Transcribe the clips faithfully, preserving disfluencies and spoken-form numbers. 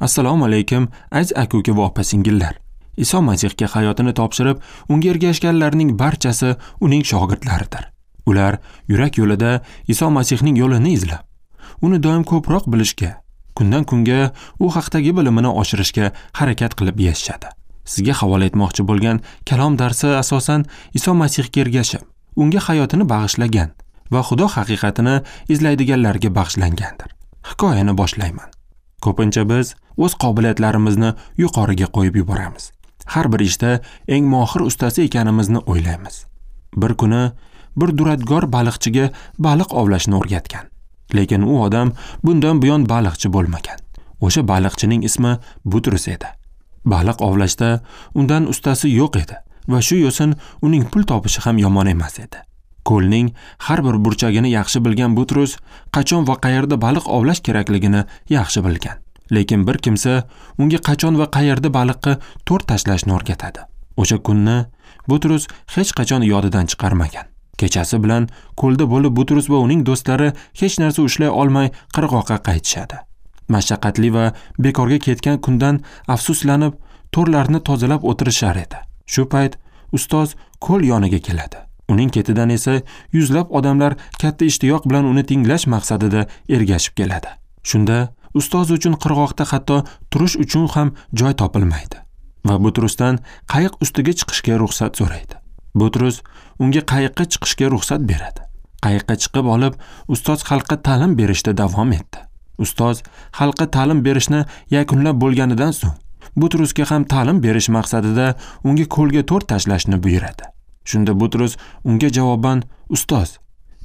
Assalomu alaykum, aziz aka-uka va opa-singillar. Iso Masihga hayotini topshirib, unga ergashganlarning barchasi uning shogirdlaridir. Ular yurak yo'lida Iso Masihning yo'lini izlab, uni doim ko'proq bilishga, kundan kunga u haqdagi bilimini oshirishga harakat qilib yashashadi. Sizga havola etmoqchi bo'lgan kalom darsi asosan Iso Masihga ergashib, unga hayotini bag'ishlagan va Xudo haqiqatini izlaydiganlarga bag'ishlangandir. Hikoyani boshlayman. Ko'pincha biz o'z qobiliyatlarimizni yuqoriga qo'yib yuboramiz. Har bir ishda eng mohir ustasi ekanimizni o'ylaymiz. Bir kuni bir duradgor baliqchiga baliq ovlashni o'rgatgan. Lekin u odam bundan buyon baliqchi bo'lmagan. O'sha baliqchining ismi Butrus edi. Baliq ovlashda undan ustasi yo'q edi va shu yo'sin uning pul topishi ham yomon emas edi. Ko'lning har bir burchagini yaxshi bilgan Butrus qachon va qayerda baliq ovlash kerakligini yaxshi bilgan. Lekin bir kimsa unga qachon va qayerda baliqqa to'r tashlashni o'rgatadi. O'sha kunni Butrus hech qachon yodidan chiqarmagan. Kechasi bilan ko'lda bo'lib Butrus va uning do'stlari hech narsa ushlay olmay qirg'oqqa qaytishadi. Mashaqqatli va bekorga ketgan kundan afsuslanib to'rlarni tozalab o'tirishar edi. Shu payt ustoz ko'l yoniga keladi. Uning ketidan esa yuzlab odamlar katta ishtiyoq bilan uni tinglash maqsadida ergashib keladi. Shunda ustoz uchun qirg'oqda hatto turish uchun ham joy topilmaydi va Butrusdan qayiq ustiga chiqishga ruxsat so'raydi. Butrus unga qayiqqa chiqishga ruxsat beradi. Qayiqqa chiqib olib, ustoz xalqqa ta'lim berishda davom etdi. Ustoz xalqqa ta'lim berishni yakunlab bo'lganidan so'ng Butrusga ham ta'lim berish maqsadida unga ko'lga to'r tashlashni buyuradi. Shunda Butrus unga javoban: "Ustoz,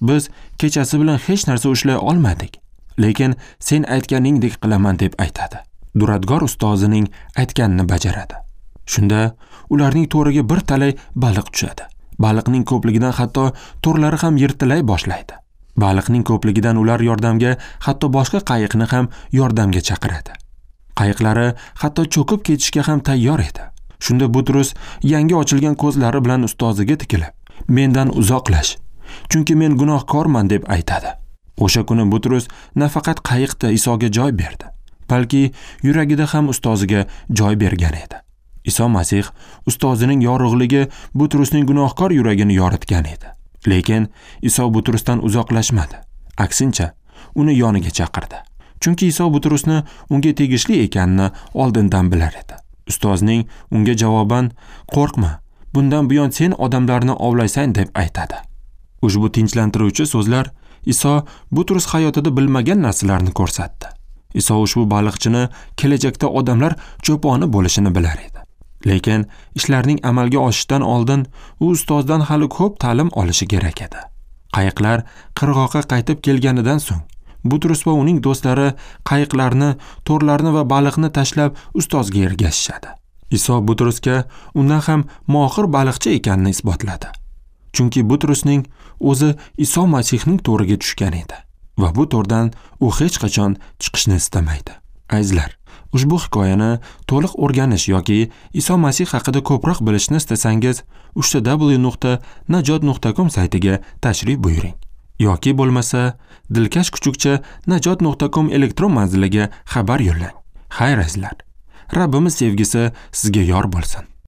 biz kechasi bilan hech narsa ushlay olmadik, lekin sen aytganingdek qilaman" deb aytadi. Duradgor ustozining aytganini bajaradi. Shunda ularning to'riga bir talay baliq tushadi. Baliqning ko'pligidan hatto to'rlari ham yirtilay boshlaydi. Baliqning ko'pligidan ular yordamga hatto boshqa qayiqni ham yordamga chaqiradi. Qayiqlari hatto cho'kib ketishga ham tayyor edi. Shunda Butrus yangi ochilgan ko'zlari bilan ustoziga tikilib, "Mendan uzoqlash, chunki men gunohkorman" deb aytadi. O'sha kuni Butrus nafaqat qayiqda Isoga joy berdi, balki yuragida ham ustoziga joy bergan edi. Iso Masih ustozining yorug'ligi Butrusning gunohkor yuragini yoritgan edi. Lekin Iso Butrusdan uzoqlashmadi. Aksincha, uni yoniga chaqirdi. Chunki Iso Butrusni unga tegishli ekanini oldindan bilar edi. Ustozning unga javoban: "Qo'rqma, bundan buyon sen odamlarni ovlaysan" deb aytadi. Ushbu tinchlantiruvchi so'zlar Iso Butrus hayotida bilmagan narsalarni ko'rsatdi. Iso ushbu baliqchini kelajakda odamlar cho'poni bo'lishini bilar edi. Lekin ishlarning amalga oshishidan oldin u ustozdan hali ko'p ta'lim olishi kerak edi. Qayiqlar qirg'oqqa qaytib kelganidan so'ng Butrus va uning do'stlari qayiqlarni, to'rlarni va baliqni tashlab ustozga ergashishadi. Iso Butrusga undan ham mohir baliqchi ekanini isbotladi. Chunki Butrusning o'zi Iso Masihning to'riga tushgan edi va bu to'rdan u hech qachon chiqishni istamaydi. Azizlar, ushbu hikoyani to'liq o'rganish yoki Iso Masih haqida ko'proq bilishni istasangiz, uch w nuqta najot nuqta com saytiga tashrif buyuring. Yoki bo'lmasa dilkash kuchukcha najot nuqta com elektron manziliga xabar yo'llang. Xayr azizlar, Rabbimiz sevgisi sizga yor bo'lsin.